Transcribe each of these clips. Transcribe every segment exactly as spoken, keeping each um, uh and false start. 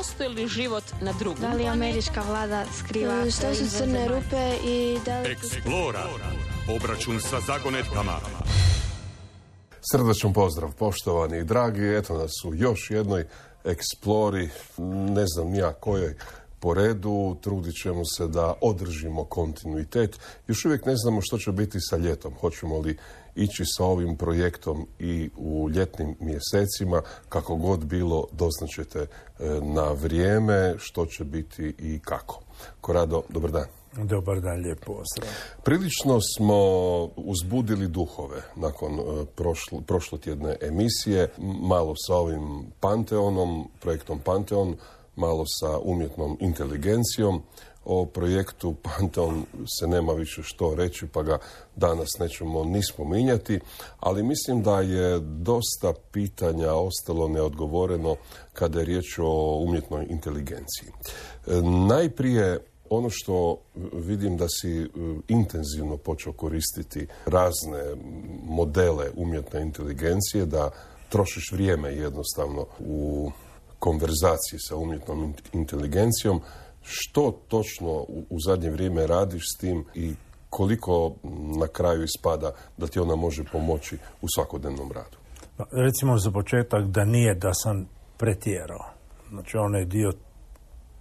postoji li život na drugom? Da li američka vlada skriva... Što su crne rupe i da li... Eksplora. Obračun sa zagonetkama. Srdačan pozdrav, poštovani i dragi. Eto nas u još jednoj eksplori, ne znam nija kojoj po redu. Trudit ćemo se da održimo kontinuitet. Još uvijek ne znamo što će biti sa ljetom. Hoćemo li ići sa ovim projektom i u ljetnim mjesecima, kako god bilo, doznaćete na vrijeme što će biti i kako. Korado, dobar dan. Dobar dan, lijep pozdrav. Prilično smo uzbudili duhove nakon prošlo, prošlotjedne emisije, malo sa ovim Panteonom, projektom Panteon, malo sa umjetnom inteligencijom. O projektu Panteon se nema više što reći, pa ga danas nećemo ni spominjati, ali mislim da je dosta pitanja ostalo neodgovoreno kada je riječ o umjetnoj inteligenciji. Najprije, ono što vidim da si intenzivno počeo koristiti razne modele umjetne inteligencije, da trošiš vrijeme jednostavno u konverzaciji sa umjetnom inteligencijom. Što točno u zadnje vrijeme radiš s tim i koliko na kraju ispada da ti ona može pomoći u svakodnevnom radu? Recimo za početak da nije da sam pretjerao. Znači onaj dio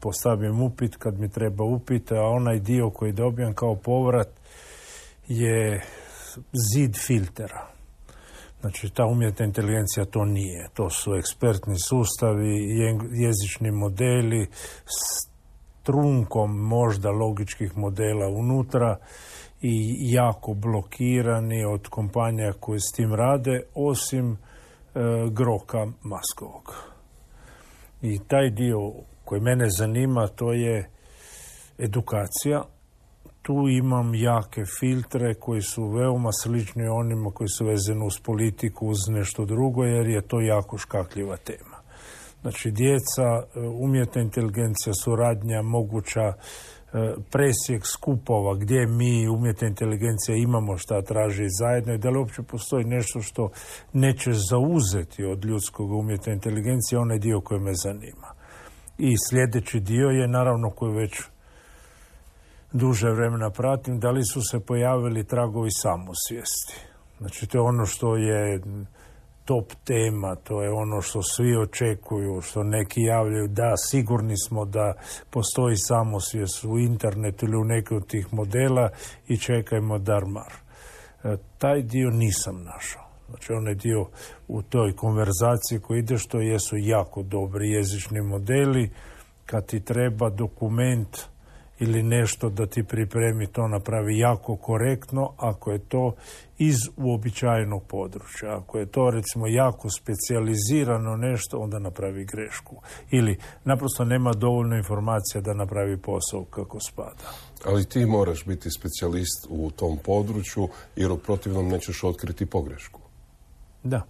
postavim upit kad mi treba upit, a onaj dio koji dobijem kao povrat je zid filtera. Znači ta umjetna inteligencija to nije. To su ekspertni sustavi, jezični modeli s trunkom možda logičkih modela unutra i jako blokirani od kompanija koje s tim rade, osim e, Groka Maskovog. I taj dio koji mene zanima, to je edukacija. Tu imam jake filtre koji su veoma slični onima koji su vezani uz politiku, uz nešto drugo, jer je to jako škakljiva tema. Znači, djeca, umjetna inteligencija, suradnja, moguća presjek skupova gdje mi, umjetna inteligencija, imamo šta traži zajedno i da li uopće postoji nešto što neće zauzeti od ljudskog umjetne inteligencije, onaj dio koji me zanima. I sljedeći dio je, naravno, koji već duže vremena pratim, da li su se pojavili tragovi samosvijesti. Znači, to je ono što je top tema, to je ono što svi očekuju, što neki javljaju, da, sigurni smo da postoji samosvijest u internetu ili u nekim od tih modela i čekajmo dar-mar. E, taj dio nisam našao. Znači, onaj dio u toj konverzaciji koji ide, što jesu jako dobri jezični modeli, kad ti treba dokument ili nešto da ti pripremi, to napravi jako korektno, ako je to iz uobičajenog područja. Ako je to, recimo, jako specijalizirano nešto, onda napravi grešku. Ili naprosto nema dovoljno informacija da napravi posao kako spada. Ali ti moraš biti specijalist u tom području, jer u protivnom nećeš otkriti pogrešku. Da.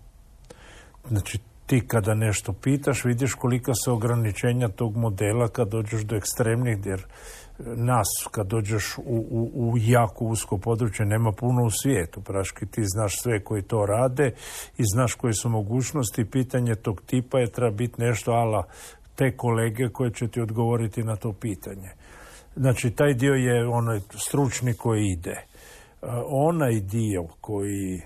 Znači, ti kada nešto pitaš, vidiš kolika su ograničenja tog modela kad dođeš do ekstremnih, jer nas, kad dođeš u, u, u jako usko područje, nema puno u svijetu. Praški, ti znaš sve koji to rade i znaš koje su mogućnosti. Pitanje tog tipa je treba biti nešto ala te kolege koje će ti odgovoriti na to pitanje. Znači, taj dio je onaj stručni koji ide. Onaj dio koji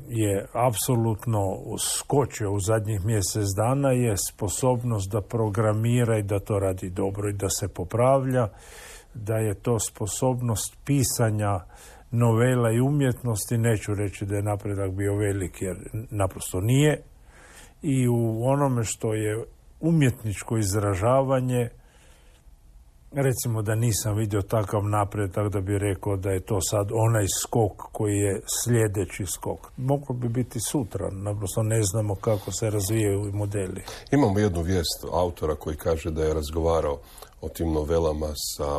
je apsolutno skočio u zadnjih mjesec dana je sposobnost da programira i da to radi dobro i da se popravlja, da je to sposobnost pisanja novela i umjetnosti. Neću reći da je napredak bio velik, jer naprosto nije. I u onome što je umjetničko izražavanje, recimo da nisam vidio takav napredak da bi rekao da je to sad onaj skok koji je sljedeći skok. Moglo bi biti sutra, naprosto ne znamo kako se razvijaju modeli. Imamo jednu vijest autora koji kaže da je razgovarao o tim novelama sa,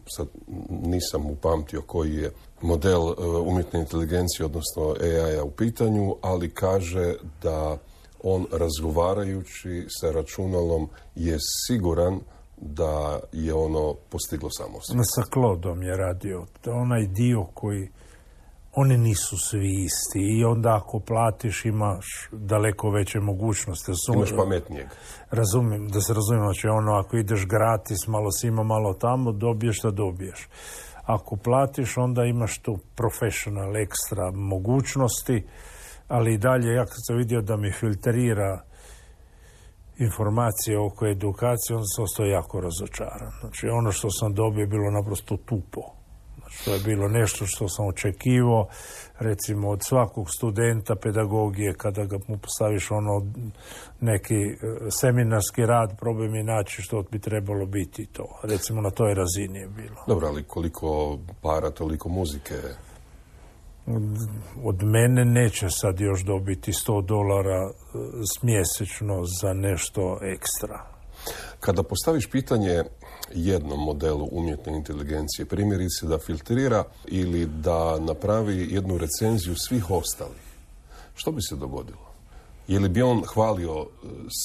sa nisam upamtio koji je model umjetne inteligencije, odnosno A I-a u pitanju, ali kaže da on razgovarajući sa računalom je siguran da je ono postiglo samosvijest. Sa Claudeom je radio. Onaj dio koji oni nisu svi isti i onda ako platiš imaš daleko veće mogućnosti. Imaš pametnijeg. Razumijem, da se razumijem, znači ono ako ideš gratis, malo sima, malo tamo, dobiješ što dobiješ. Ako platiš, onda imaš tu professional ekstra mogućnosti, ali i dalje, ja kad sam vidio da mi filtrira informacije oko edukacije, onda sam ostao jako razočaran. Znači ono što sam dobio je bilo naprosto tupo. Znači to je bilo nešto što sam očekivao, recimo od svakog studenta pedagogije, kada ga mu postaviš ono neki seminarski rad, probaj mi naći što bi trebalo biti to. Recimo na toj razini je bilo. Dobro, ali koliko para, toliko muzike? Od mene neće sad još dobiti sto dolara mjesečno za nešto ekstra. Kada postaviš pitanje jednom modelu umjetne inteligencije, primjerice da filtrira ili da napravi jednu recenziju svih ostalih, što bi se dogodilo? Je li bi on hvalio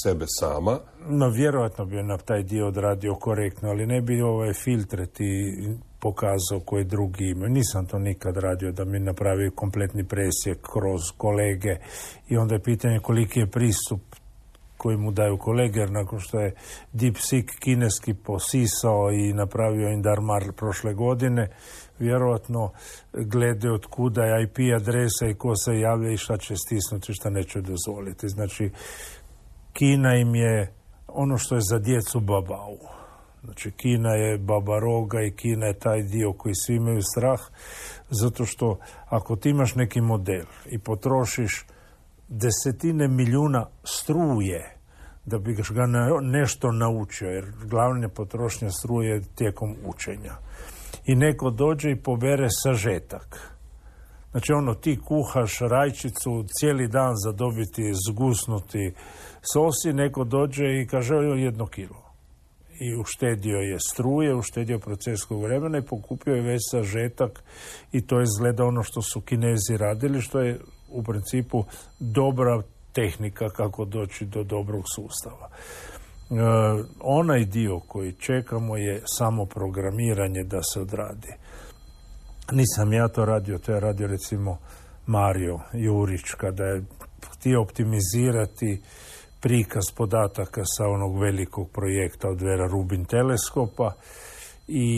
sebe sama? No, vjerojatno bi na taj dio odradio korektno, ali ne bi ovaj filtre ti pokazao koje drugi imaju. Nisam to nikad radio da mi napravi kompletni presjek kroz kolege i onda je pitanje koliki je pristup koji mu daju kolege, jer nakon što je DeepSeek kineski posisao i napravio Indarmar prošle godine, vjerojatno glede od kuda je I P adresa i ko se javlja i šta će stisnuti, šta neće dozvoliti. Znači, Kina im je ono što je za djecu babau. Znači, Kina je baba roga i Kina je taj dio koji svi imaju strah, zato što ako ti imaš neki model i potrošiš desetine milijuna struje da bi ga nešto naučio, jer glavna potrošnja struje tijekom učenja. I neko dođe i pobere sažetak. Znači ono, ti kuhaš rajčicu cijeli dan za dobiti zgusnuti sosi, neko dođe i kaže jedno kilo. I uštedio je struje, uštedio processkog vremena i pokupio je već sažetak i to izgleda ono što su Kinezi radili, što je u principu dobra tehnika kako doći do dobrog sustava. E, onaj dio koji čekamo je samo programiranje da se odradi. Nisam ja to radio, to je radio recimo Mario Jurić kada je htio optimizirati prikaz podataka sa onog velikog projekta od Vera Rubin teleskopa i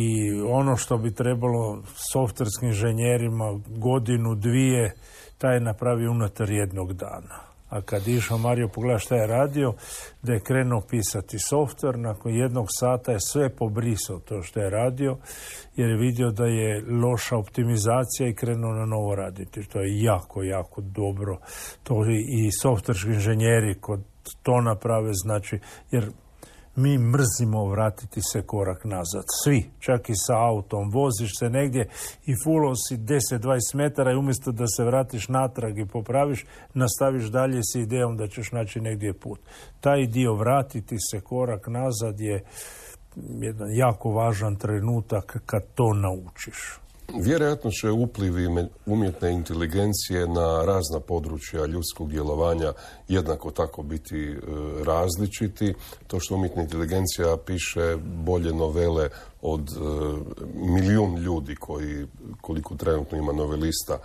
ono što bi trebalo softverskim inženjerima godinu, dvije, taj je napravio unutar jednog dana. A kad je išao Mario pogledati šta je radio, da je krenuo pisati softver, nakon jednog sata je sve pobrisao to što je radio, jer je vidio da je loša optimizacija i krenuo na novo raditi. To je jako, jako dobro. To i softverski inženjeri kod to naprave, znači, jer mi mrzimo vratiti se korak nazad. Svi, čak i sa autom, voziš se negdje i fulao si deset do dvadeset metara i umjesto da se vratiš natrag i popraviš, nastaviš dalje s idejom da ćeš naći negdje put. Taj dio vratiti se korak nazad je jedan jako važan trenutak kad to naučiš. Vjerojatno će uplivi umjetne inteligencije na razna područja ljudskog djelovanja jednako tako biti e, različiti. To što umjetna inteligencija piše bolje novele od e, milijun ljudi koji, koliko trenutno ima novelista e,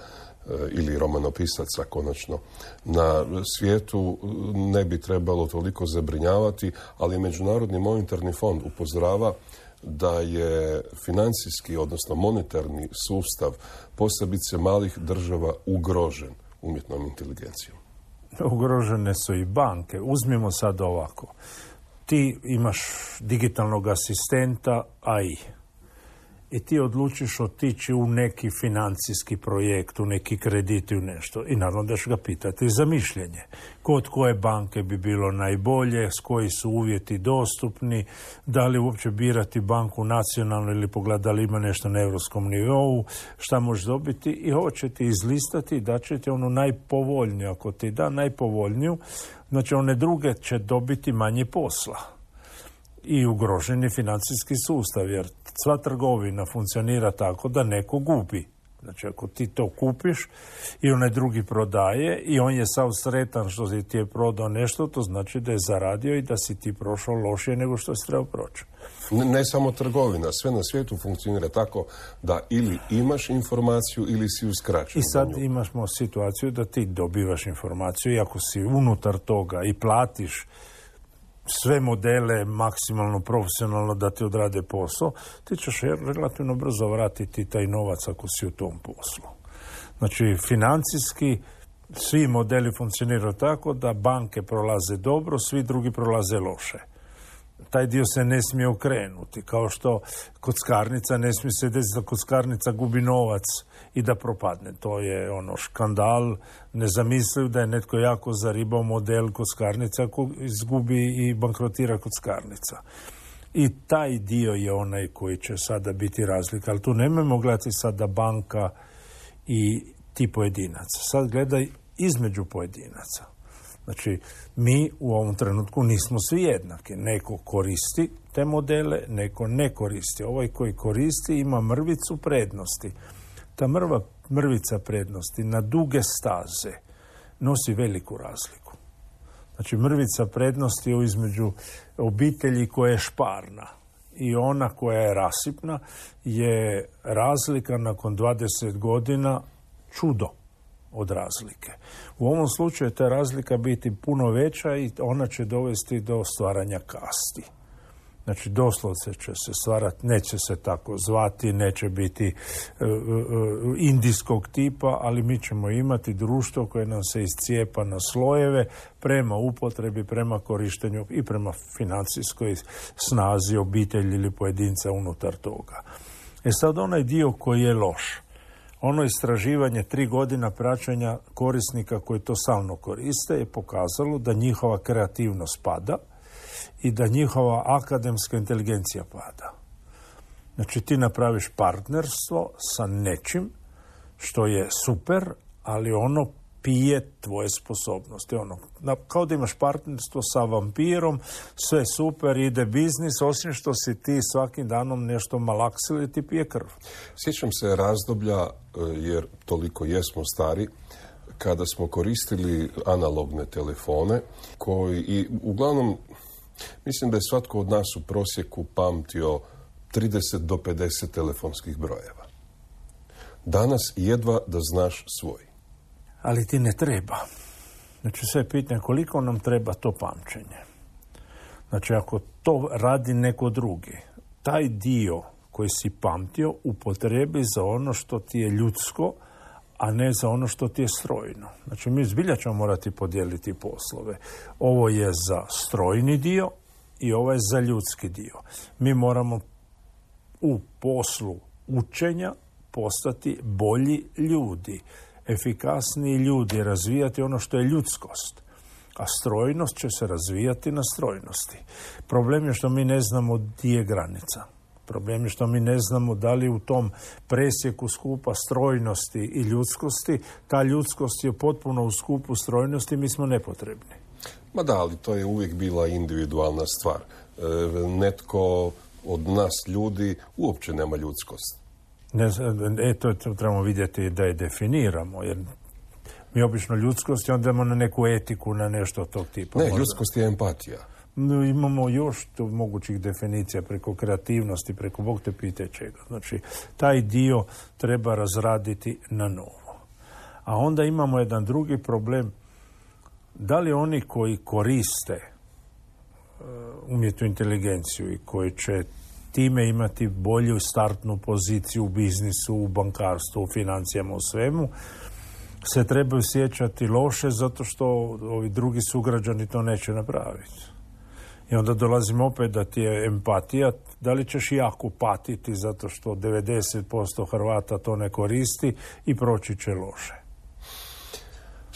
ili romanopisaca konačno na svijetu, ne bi trebalo toliko zabrinjavati, ali Međunarodni monetarni fond upozorava da je financijski, odnosno monetarni sustav posebice malih država ugrožen umjetnom inteligencijom. Ugrožene su i banke. Uzmimo sad ovako. Ti imaš digitalnog asistenta A I i ti odlučiš otići u neki financijski projekt, u neki kredit i u nešto. I naravno da ćeš ga pitati za mišljenje. Kod koje banke bi bilo najbolje, s koji su uvjeti dostupni, da li uopće birati banku nacionalnu ili pogledati da li ima nešto na europskom nivou, šta možeš dobiti i hoće ti izlistati i da će ti onu najpovoljniju. Ako ti da najpovoljniju, znači one druge će dobiti manje posla. I ugrožen je financijski sustav, jer sva trgovina funkcionira tako da neko gubi. Znači, ako ti to kupiš i onaj drugi prodaje i on je sav sretan što si ti je prodao nešto, to znači da je zaradio i da si ti prošao lošije nego što si trebao proći. Ne, ne samo trgovina, sve na svijetu funkcionira tako da ili imaš informaciju ili si uskraćen. I sad imamo situaciju da ti dobivaš informaciju i ako si unutar toga i platiš sve modele maksimalno profesionalno da ti odrade posao, ti ćeš relativno brzo vratiti taj novac ako si u tom poslu. Znači, financijski svi modeli funkcioniraju tako da banke prolaze dobro, svi drugi prolaze loše. Taj dio se ne smije okrenuti, kao što kockarnica ne smije se desiti da kockarnica gubi novac i da propadne. To je ono škandal, nezamisliv da je netko jako zaribao model kockarnica ako izgubi i bankrotira kockarnica. I taj dio je onaj koji će sada biti razlika, ali tu nemojmo gledati sada banka i ti pojedinaca. Sad gledaj između pojedinaca. Znači, mi u ovom trenutku nismo svi jednaki. Neko koristi te modele, neko ne koristi. Ovaj koji koristi ima mrvicu prednosti. Ta mrva, mrvica prednosti na duge staze nosi veliku razliku. Znači, mrvica prednosti je između obitelji koja je šparna i ona koja je rasipna je razlika nakon dvadeset godina čudo od razlike. U ovom slučaju ta razlika biti puno veća i ona će dovesti do stvaranja kasti. Znači, doslovce će se stvarati, neće se tako zvati, neće biti uh, uh, indijskog tipa, ali mi ćemo imati društvo koje nam se iscijepa na slojeve prema upotrebi, prema korištenju i prema financijskoj snazi obitelji ili pojedinca unutar toga. E sad, onaj dio koji je loš, ono istraživanje tri godina praćenja korisnika koji to stalno koriste je pokazalo da njihova kreativnost pada i da njihova akademska inteligencija pada. Znači, ti napraviš partnerstvo sa nečim što je super, ali ono pije tvoje sposobnosti. Ono, kao da imaš partnerstvo sa vampirom, sve super, ide biznis, osim što si ti svakim danom nešto malaksili, ti pije krv. Sjećam se razdoblja, jer toliko jesmo stari, kada smo koristili analogne telefone, koji i uglavnom, mislim da je svatko od nas u prosjeku pamtio trideset do pedeset telefonskih brojeva. Danas jedva da znaš svoj. Ali ti ne treba. Znači, sve je pitanje koliko nam treba to pamćenje. Znači, ako to radi neko drugi, taj dio koji si pamtio upotrebi za ono što ti je ljudsko, a ne za ono što ti je strojno. Znači, mi zbilja ćemo morati podijeliti poslove. Ovo je za strojni dio i ovo je za ljudski dio. Mi moramo u poslu učenja postati bolji ljudi, efikasniji ljudi, razvijati ono što je ljudskost. A strojnost će se razvijati na strojnosti. Problem je što mi ne znamo gdje je granica. Problem je što mi ne znamo da li u tom presjeku skupa strojnosti i ljudskosti, ta ljudskost je potpuno u skupu strojnosti, mi smo nepotrebni. Ma da, ali to je uvijek bila individualna stvar. E, netko od nas ljudi uopće nema ljudskost. Ne, e, to, to trebamo vidjeti da je definiramo, jer mi obično ljudskost i onda idemo na neku etiku, na nešto tog tipa. Ne, možda. Ljudskost je empatija. No, imamo još to mogućih definicija preko kreativnosti, preko Bog te pite čega. Znači, taj dio treba razraditi na novo. A onda imamo jedan drugi problem. Da li oni koji koriste uh, umjetnu inteligenciju i koji će time imati bolju startnu poziciju u biznisu, u bankarstvu, u financijama, u svemu, se trebaju sjećati loše zato što ovi drugi sugrađani to neće napraviti. I onda dolazimo opet da ti je empatija, da li ćeš jako patiti zato što devedeset posto Hrvata to ne koristi i proći će loše.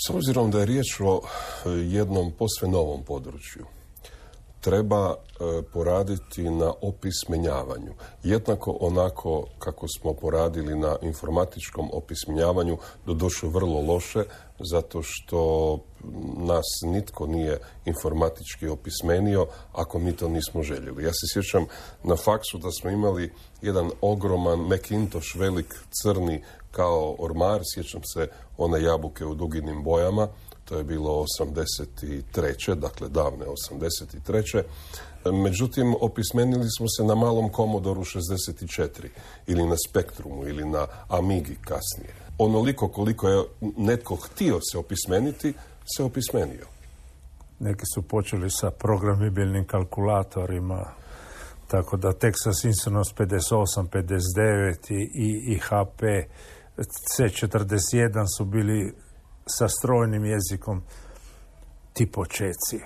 S obzirom da je riječ o jednom posve novom području, treba e, poraditi na opismenjavanju. Jednako onako kako smo poradili na informatičkom opismenjavanju, doduše vrlo loše, zato što nas nitko nije informatički opismenio ako mi to nismo željeli. Ja se sjećam na faksu da smo imali jedan ogroman Macintosh, velik crni kao ormar, sjećam se one jabuke u duginim bojama, to je bilo osamdeset treće dakle davne osamdeset treće Međutim, opismenili smo se na malom Commodoru šezdeset četiri ili na Spektrumu ili na Amigi kasnije. Onoliko koliko je netko htio se opismeniti, se opismenio. Neki su počeli sa programibilnim kalkulatorima, tako da Texas Instruments pedeset osam, pedeset devet i, i, i H P C četrdeset jedan su bili sa strojnim jezikom ti počeci.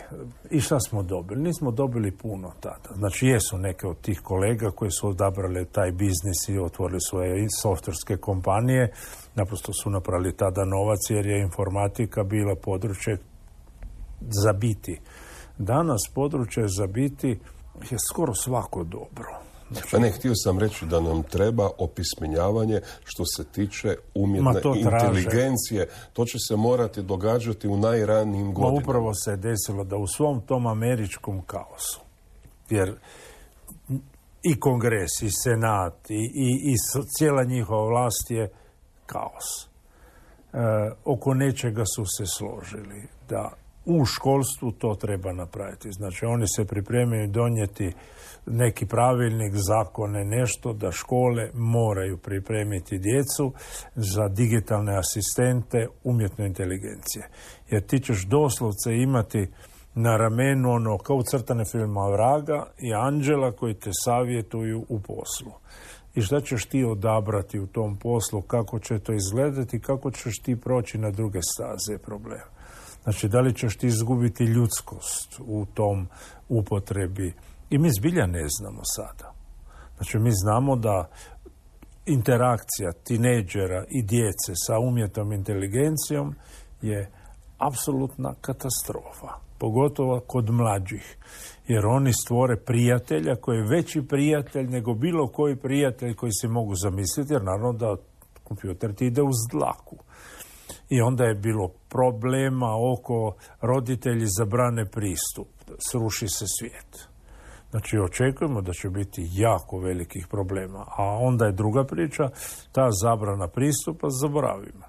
I šta smo dobili? Nismo dobili puno tada. Znači, jesu neke od tih kolega koji su odabrali taj biznis i otvorili svoje softverske kompanije. Naprosto su napravili tada novac jer je informatika bila područje za biti. Danas područje za biti je skoro svako dobro. Znači, pa ne, htio sam reći da nam treba opismenjavanje što se tiče umjetne to inteligencije. To će se morati događati u najranijim godinama. Ma upravo se je desilo da u svom tom američkom kaosu, jer i kongres, i senat, i, i, i cijela njihova vlast je kaos. E, oko nečega su se složili da u školstvu to treba napraviti. Znači, oni se pripremaju donijeti neki pravilnik, zakone, nešto da škole moraju pripremiti djecu za digitalne asistente umjetne inteligencije. Jer ti ćeš doslovce imati na ramenu ono kao u crtane filma vraga i anđela koji te savjetuju u poslu. I šta ćeš ti odabrati u tom poslu, kako će to izgledati, kako ćeš ti proći na druge staze problema. Znači, da li ćeš ti izgubiti ljudskost u tom upotrebi? I mi zbilja ne znamo sada. Znači, mi znamo da interakcija tinejdžera i djece sa umjetnom inteligencijom je apsolutna katastrofa. Pogotovo kod mlađih. Jer oni stvore prijatelja koji je veći prijatelj nego bilo koji prijatelj koji se mogu zamisliti, jer naravno da kompjuter ti ide uz dlaku. I onda je bilo problema oko roditelji zabrane pristup. Sruši se svijet. Znači, očekujemo da će biti jako velikih problema. A onda je druga priča, ta zabrana pristupa zaboravimo.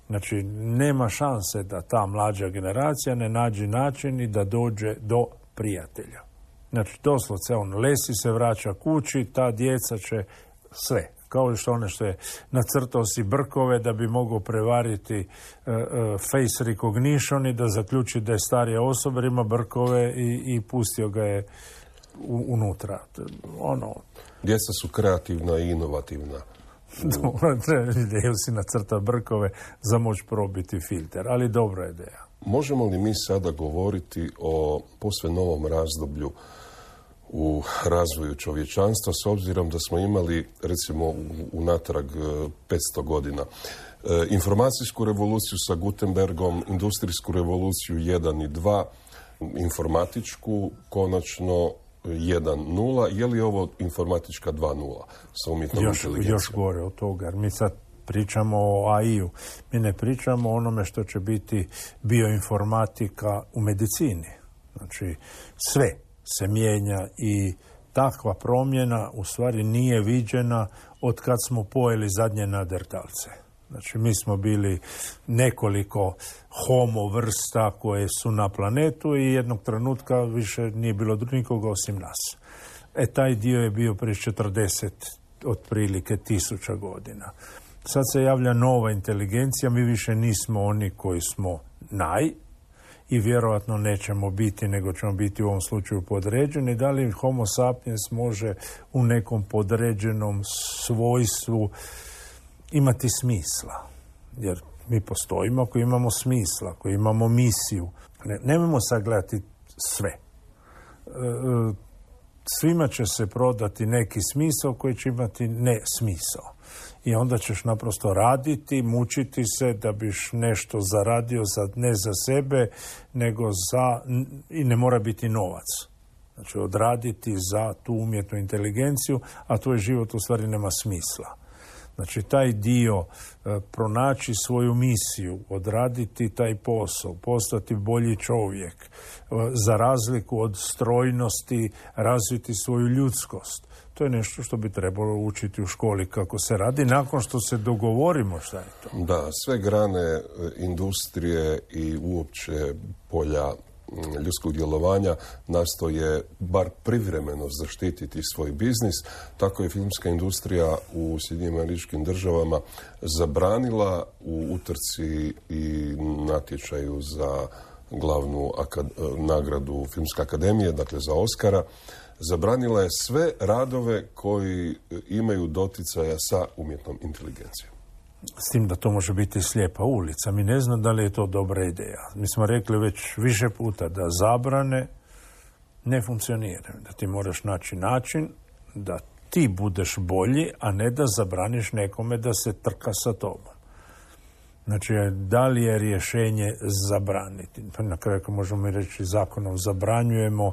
Znači, nema šanse da ta mlađa generacija ne nađe način i da dođe do prijatelja. Znači, doslovce on lesi se, vraća kući, ta djeca će sve. Kao što one što je nacrtao si brkove da bi mogao prevariti uh, uh, face recognition i da zaključi da je starija osoba, ima brkove i, i pustio ga je u, unutra. Ono. Djeca su kreativna i inovativna. Dobro, ideju si nacrta brkove za moć probiti filter, ali dobra ideja. Možemo li mi sada govoriti o posve novom razdoblju u razvoju čovječanstva, s obzirom da smo imali, recimo, unatrag petsto godina, e, informacijsku revoluciju sa Gutenbergom, industrijsku revoluciju jedan i dva, informatičku, konačno jedan nula. Je li ovo informatička dva nula sa umjetnom još, inteligencijom? Još gore od toga, jer mi sad pričamo o A I-u. Mi ne pričamo o onome što će biti bioinformatika u medicini. Znači, sve se mijenja i takva promjena u stvari nije viđena od kad smo pojeli zadnje nadertalce. Znači, mi smo bili nekoliko homo vrsta koje su na planetu i jednog trenutka više nije bilo nikoga osim nas. E, taj dio je bio prije četrdeset otprilike tisuća godina. Sad se javlja nova inteligencija, mi više nismo oni koji smo naj, i vjerojatno nećemo biti, nego ćemo biti u ovom slučaju podređeni. Da li homo sapiens može u nekom podređenom svojstvu imati smisla? Jer mi postojimo ako imamo smisla, ako imamo misiju. Ne, nemojmo sagledati sve. E, svima će se prodati neki smisao koji će imati ne smisao. I onda ćeš naprosto raditi, mučiti se da biš nešto zaradio za, ne za sebe, nego za, i ne mora biti novac. Znači odraditi za tu umjetnu inteligenciju, a tvoj život u stvari nema smisla. Znači taj dio, e, pronaći svoju misiju, odraditi taj posao, postati bolji čovjek, e, za razliku od strojnosti razviti svoju ljudskost. To je nešto što bi trebalo učiti u školi kako se radi, nakon što se dogovorimo šta je to. Da, sve grane industrije i uopće polja ljudskog djelovanja nastoje bar privremeno zaštititi svoj biznis. Tako je filmska industrija u Sjedinjenim Američkim Državama zabranila u utrci i natječaju za glavnu akad- nagradu Filmske akademije, dakle za Oscara, zabranila je sve radove koji imaju doticaja sa umjetnom inteligencijom. S tim da to može biti slijepa ulica. Mi ne znam da li je to dobra ideja. Mi smo rekli već više puta da zabrane ne funkcioniraju. Da ti moraš naći način da ti budeš bolji, a ne da zabraniš nekome da se trka sa tobom. Znači, da li je rješenje zabraniti? Na kraju možemo i reći zakonom zabranjujemo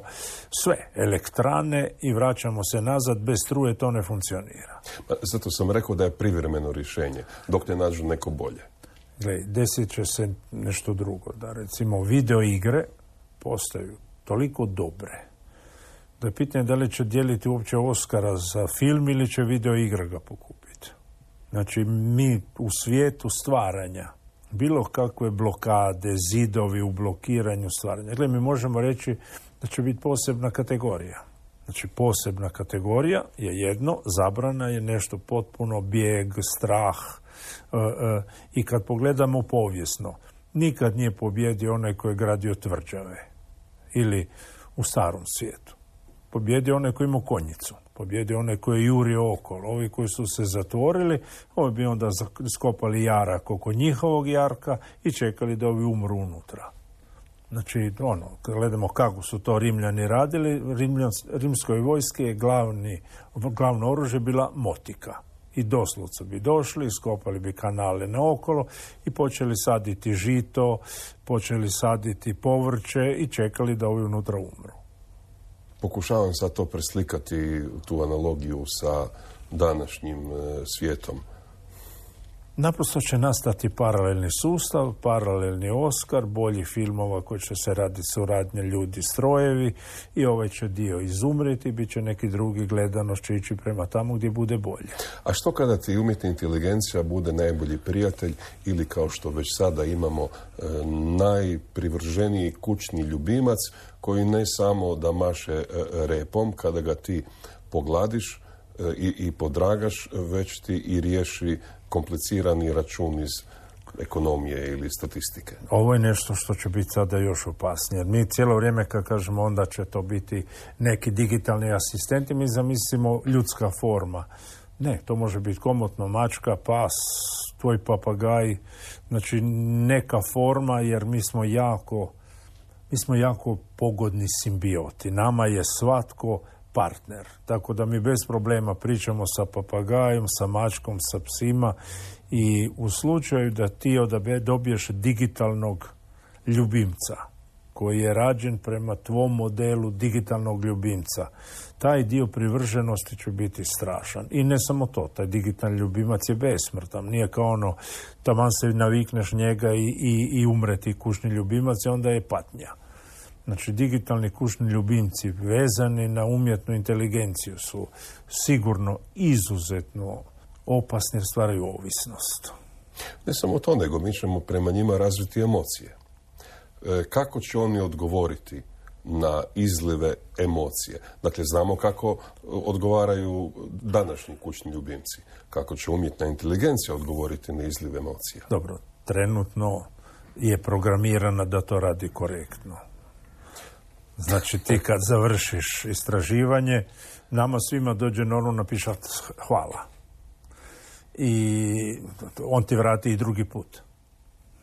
sve elektrane i vraćamo se nazad, bez struje to ne funkcionira. Zato sam rekao da je privremeno rješenje, dok ne nađu neko bolje. Gle, desit će se nešto drugo. Da recimo video igre postaju toliko dobre da je pitanje da li će dijeliti uopće Oscara za film ili će video igre ga pokupiti. Znači, mi u svijetu stvaranja, bilo kakve blokade, zidovi u blokiranju stvaranja. Gle, mi možemo reći da će biti posebna kategorija. Znači, posebna kategorija je jedno, zabrana je nešto potpuno bijeg, strah. E, e, I kad pogledamo povijesno, nikad nije pobjedio onaj koji je gradio tvrđave. Ili u starom svijetu. Pobjedio onaj koji ima konjicu. Pobjedio onaj koji je jurio okolo. Ovi koji su se zatvorili, ovi bi onda skopali jarak oko njihovog jarka i čekali da ovi umru unutra. Znači, ono, kad gledamo kako su to Rimljani radili, Rimljan, rimskoj vojske je glavni, glavno oružje bila motika. I doslovce bi došli, skopali bi kanale naokolo i počeli saditi žito, počeli saditi povrće i čekali da ovi unutra umru. Pokušavam sad to preslikati, tu analogiju sa današnjim e, svijetom. Naprosto će nastati paralelni sustav, paralelni Oskar, bolji filmova koji će se raditi suradnje ljudi, strojevi i ovaj će dio izumreti, bit će neki drugi, gledanost će ići prema tamo gdje bude bolje. A što kada ti umjetna inteligencija bude najbolji prijatelj ili kao što već sada imamo e, najprivrženiji kućni ljubimac koji ne samo da maše e, repom kada ga ti pogladiš e, i, i podragaš, već ti i riješi komplicirani račun iz ekonomije ili statistike. Ovo je nešto što će biti sada još opasnije. Mi cijelo vrijeme kad kažemo onda će to biti neki digitalni asistenti, mi zamislimo ljudska forma. Ne, to može biti komotno mačka, pas, tvoj papagaj, znači neka forma jer mi smo jako, mi smo jako pogodni simbioti. Nama je svatko partner. Tako da mi bez problema pričamo sa papagajom, sa mačkom, sa psima i u slučaju da ti odabe, dobiješ digitalnog ljubimca koji je rađen prema tvom modelu digitalnog ljubimca, taj dio privrženosti će biti strašan. I ne samo to, taj digitalni ljubimac je besmrtan. Nije kao ono, taman se navikneš njega i, i, i umreti kućni ljubimac i onda je patnja. Znači, digitalni kućni ljubimci vezani na umjetnu inteligenciju su sigurno izuzetno opasni jer stvaraju ovisnost. Ne samo to, nego mi ćemo prema njima razviti emocije. E, kako će oni odgovoriti na izlive emocije? Dakle, znamo kako odgovaraju današnji kućni ljubimci. Kako će umjetna inteligencija odgovoriti na izlive emocija? Dobro, trenutno je programirana da to radi korektno. Znači, ti kad završiš istraživanje, nama svima dođe normalno napiše hvala. I on ti vrati i drugi put.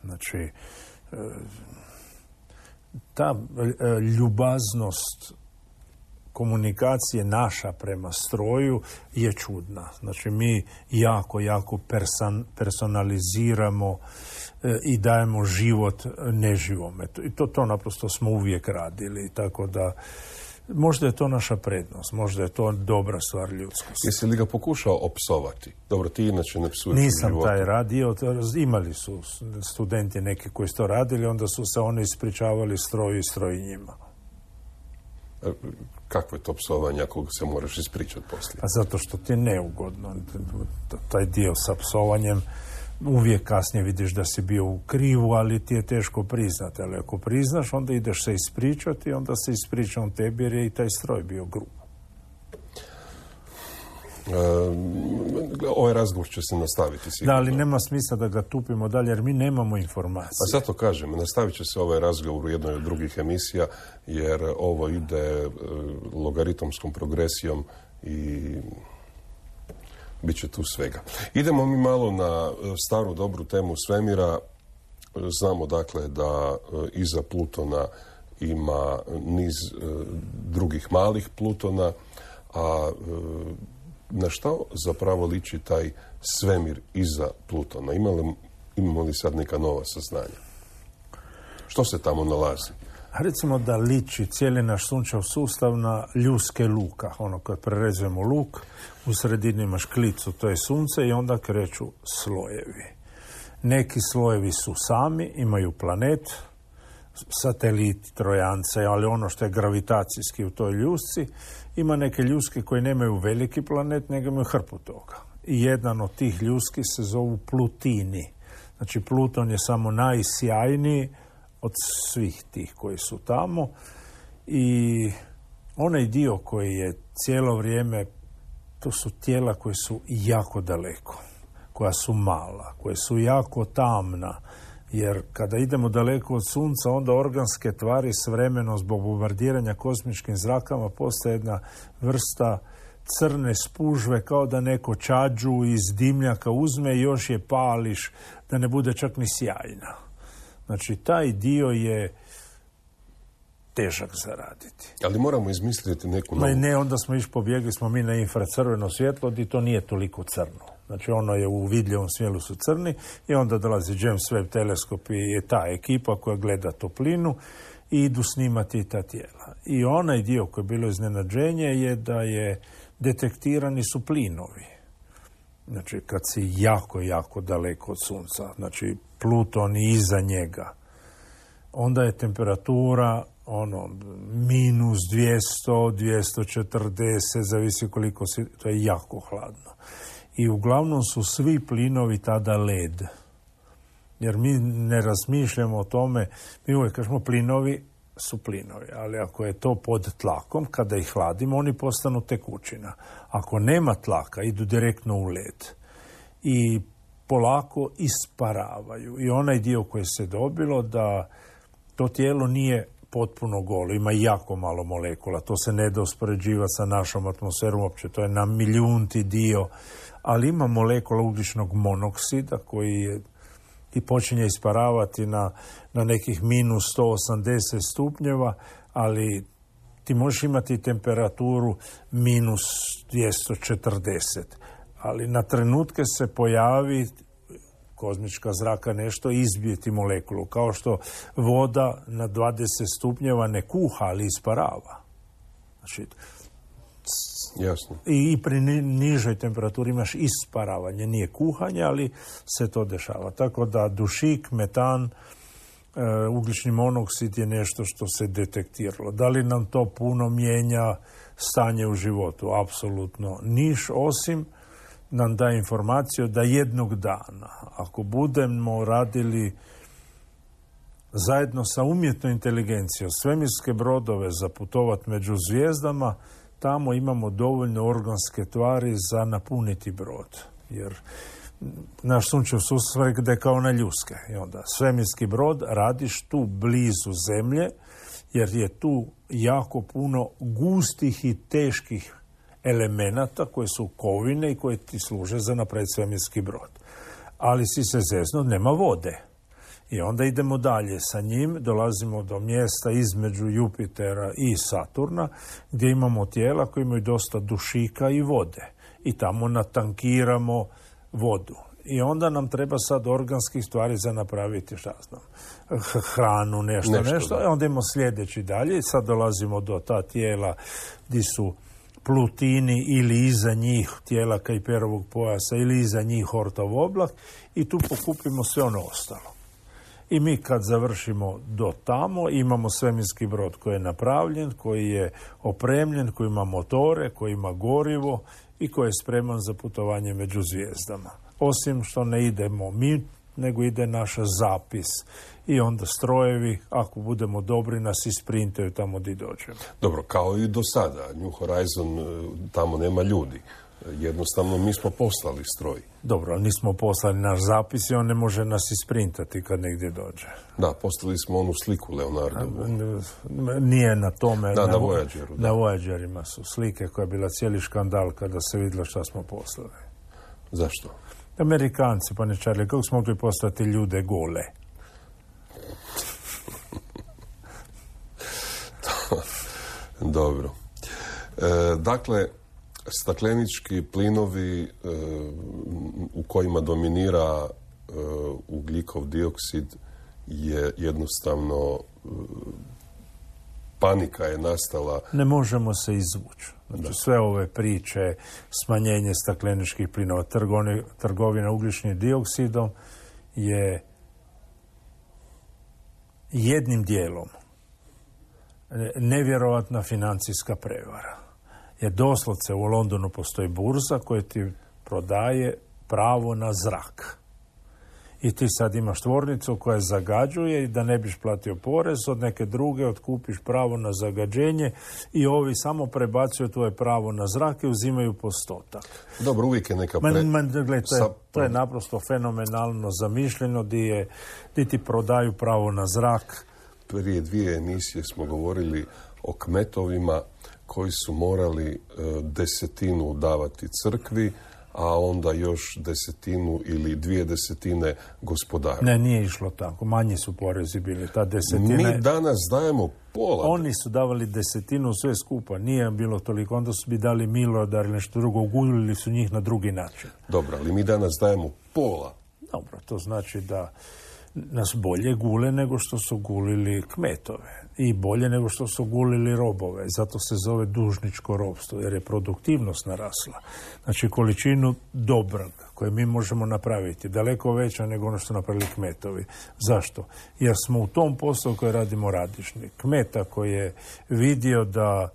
Znači, ta ljubaznost komunikacije naša prema stroju je čudna. Znači, mi jako, jako person, personaliziramo e, i dajemo život neživome. I to, to naprosto smo uvijek radili. Tako da Možda je to naša prednost, možda je to dobra stvar ljudskosti. Jesi li ga pokušao opsovati? Dobro, ti inače ne psuješ. Nisam taj radio, imali su studenti neki koji su to radili, onda su se oni ispričavali stroju i stroj njima. Kakvo je to psovanje ako se moraš ispričati poslije? A zato što ti je neugodno. Taj dio sa psovanjem uvijek kasnije vidiš da si bio u krivu, ali ti je teško priznati. Ali ako priznaš, onda ideš se ispričati, onda se ispriča on tebi jer je i taj stroj bio grub. E, ovaj razgovor će se nastaviti sigurno. Da, ali nema smisla da ga tupimo dalje, jer mi nemamo informacije. A zato kažem, nastavit će se ovaj razgovor u jednoj od drugih emisija, jer ovo ide logaritomskom progresijom i bit će tu svega. Idemo mi malo na staru dobru temu svemira. Znamo dakle da iza Plutona ima niz drugih malih Plutona, a na što zapravo liči taj svemir iza Plutona? Ima li, imamo li sad neka nova saznanja? Što se tamo nalazi? Recimo da liči cijeli naš sunčev sustav na ljuske luka. Ono, kad prerezujemo luk, u sredini imaš klicu, to je sunce, i onda kreću slojevi. Neki slojevi su sami, imaju planet, sateliti, trojance, ali ono što je gravitacijski u toj ljusci. Ima neke ljuske koje nemaju veliki planet, nego imaju hrpu toga. I jedan od tih ljuski se zovu Plutini. Znači, Pluton je samo najsjajniji od svih tih koji su tamo. I onaj dio koji je cijelo vrijeme, to su tijela koje su jako daleko, koja su mala, koje su jako tamna. Jer kada idemo daleko od sunca, onda organske tvari s vremenom zbog bombardiranja kosmičkim zrakama postaje jedna vrsta crne spužve, kao da neko čađu iz dimljaka uzme i još je pališ da ne bude čak ni sjajna. Znači, taj dio je težak zaraditi. Ali moramo izmisliti neku novu... Ma ne, onda smo iš pobjegli smo mi na infracrveno svjetlo, i to nije toliko crno. Znači, ono je u vidljivom smjelu su crni, i onda dolazi James Webb teleskop i je ta ekipa koja gleda toplinu i idu snimati ta tijela. I onaj dio koji je bilo iznenađenje je da je detektirani su plinovi. Znači, kad si jako, jako daleko od sunca, znači Pluton i iza njega, onda je temperatura ono, minus dvjesto, dvjesto četrdeset, zavisi koliko si, to je jako hladno. I uglavnom su svi plinovi tada led. Jer mi ne razmišljamo o tome, mi uvijek kažemo plinovi su plinovi, ali ako je to pod tlakom, kada ih hladimo, oni postanu tekućina. Ako nema tlaka, idu direktno u led. I polako isparavaju. I onaj dio koji se dobilo da to tijelo nije potpuno golo, ima jako malo molekula, to se ne da uspoređivati sa našom atmosferom, uopće to je na milijunti dio, ali ima molekula ugljičnog monoksida koji je i počinje isparavati na, na nekih minus sto osamdeset stupnjeva, ali ti možeš imati temperaturu minus dvjesto četrdeset, ali na trenutke se pojavi kozmička zraka nešto izbije ti molekulu, kao što voda na dvadeset stupnjeva ne kuha, ali isparava. Znači, jasno. I, i pri nižoj temperaturi imaš isparavanje, nije kuhanje, ali se to dešava. Tako da dušik, metan, e, ugljični monoksid je nešto što se detektiralo. Da li nam to puno mijenja stanje u životu? Apsolutno niš, osim nam da informaciju da jednog dana, ako budemo radili zajedno sa umjetnom inteligencijom svemirske brodove za putovat među zvijezdama, tamo imamo dovoljno organske tvari za napuniti brod. Jer naš sunčev sustav je kao na ljuske. I onda svemirski brod radiš tu blizu zemlje, jer je tu jako puno gustih i teških elemenata koje su kovine i koje ti služe za napraviti svemirski brod. Ali si se zezno, nema vode. I onda idemo dalje sa njim, dolazimo do mjesta između Jupitera i Saturna, gdje imamo tijela koje imaju dosta dušika i vode. I tamo natankiramo vodu. I onda nam treba sad organskih stvari za napraviti, šta znam, hranu, nešto, nešto. nešto. I onda imamo sljedeći dalje. Sad dolazimo do ta tijela gdje su Plutini ili iza njih tijela Kajperovog pojasa ili iza njih Hortov oblak i tu pokupimo sve ono ostalo. I mi kad završimo do tamo imamo svemirski brod koji je napravljen, koji je opremljen, koji ima motore, koji ima gorivo i koji je spreman za putovanje među zvijezdama. Osim što ne idemo mi, nego ide naš zapis. I onda strojevi, ako budemo dobri, nas isprintaju tamo gdje dođemo. Dobro, kao i do sada. New Horizon, tamo nema ljudi. Jednostavno, mi smo poslali stroj. Dobro, nismo poslali naš zapis i on ne može nas isprintati kad negdje dođe. Da, poslali smo onu sliku Leonardovu. Nije na tome. Da, na, na Voyageru. Na Voyagerima su slike koja je bila cijeli škandal kada se vidjelo šta smo poslali. Zašto? Amerikanci, pa ne Charlie, kako smo mogli poslati ljude gole? Dobro. E, dakle, staklenički plinovi e, u kojima dominira e, ugljikov dioksid je jednostavno e, panika je nastala. Ne možemo se izvući. Znači, da. Sve ove priče, smanjenje stakleničkih plinova, trgovine, trgovina ugljičnim dioksidom je jednim dijelom nevjerovatna financijska prevara. Jer doslovce u Londonu postoji burza koja ti prodaje pravo na zrak. I ti sad imaš tvornicu koja zagađuje i da ne biš platio porez, od neke druge otkupiš pravo na zagađenje i ovi samo prebacuju tvoje pravo na zrak i uzimaju postotak. Dobro, uvijek je neka... Pre... Man, man, gled, to, je, to je naprosto fenomenalno zamišljeno gdje ti prodaju pravo na zrak. Prije dvije emisije smo govorili o kmetovima koji su morali e, desetinu davati crkvi, a onda još desetinu ili dvije desetine gospodaru. Ne, nije išlo tako. Manji su porezi bili. Ta desetina... Mi danas dajemo pola. Oni su davali desetinu sve skupa. Nije bilo toliko. Onda su bi dali milodar ili nešto drugo. Gulili su njih na drugi način. Dobro, ali mi danas dajemo pola. Dobro, to znači da nas bolje gule nego što su gulili kmetove. I bolje nego što su gulili robove. Zato se zove dužničko ropstvo, jer je produktivnost narasla. Znači, količinu dobrog koje mi možemo napraviti daleko veća nego ono što napravili kmetovi. Zašto? Jer smo u tom poslu koji radimo radišni. Kmeta koji je vidio da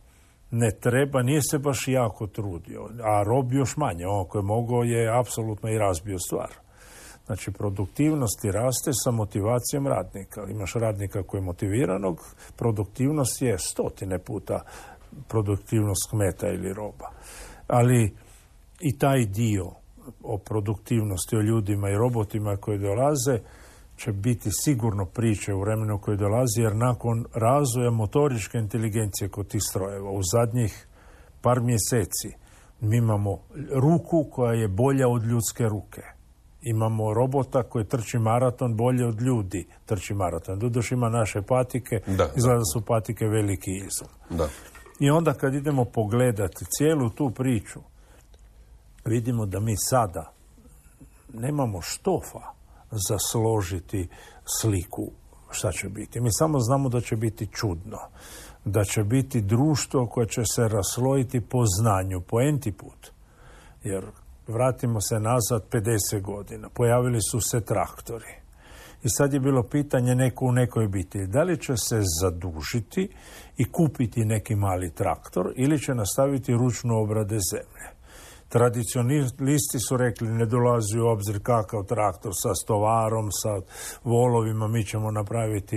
ne treba, nije se baš jako trudio. A rob još manje. On koji je mogao je apsolutno i razbio stvar. Znači, produktivnost ti raste sa motivacijom radnika. Imaš radnika koji je motiviranog, produktivnost je stotine puta produktivnost kmeta ili roba. Ali i taj dio o produktivnosti, o ljudima i robotima koji dolaze, će biti sigurno priče u vremenu koji dolazi, jer nakon razvoja motoričke inteligencije kod tih strojeva u zadnjih par mjeseci mi imamo ruku koja je bolja od ljudske ruke. Imamo robota koji trči maraton bolje od ljudi trči maraton. Doduše ima naše patike, da, izgleda da su patike veliki izum. Da. I onda kad idemo pogledati cijelu tu priču, vidimo da mi sada nemamo štofa za složiti sliku šta će biti. Mi samo znamo da će biti čudno. Da će biti društvo koje će se raslojiti po znanju, po enti put. Jer vratimo se nazad pedeset godina. Pojavili su se traktori. I sad je bilo pitanje neko u nekoj obitelji. Da li će se zadužiti i kupiti neki mali traktor ili će nastaviti ručnu obrade zemlje. Tradicionalisti su rekli ne dolazi u obzir kakav traktor sa stovarom, sa volovima, mi ćemo napraviti.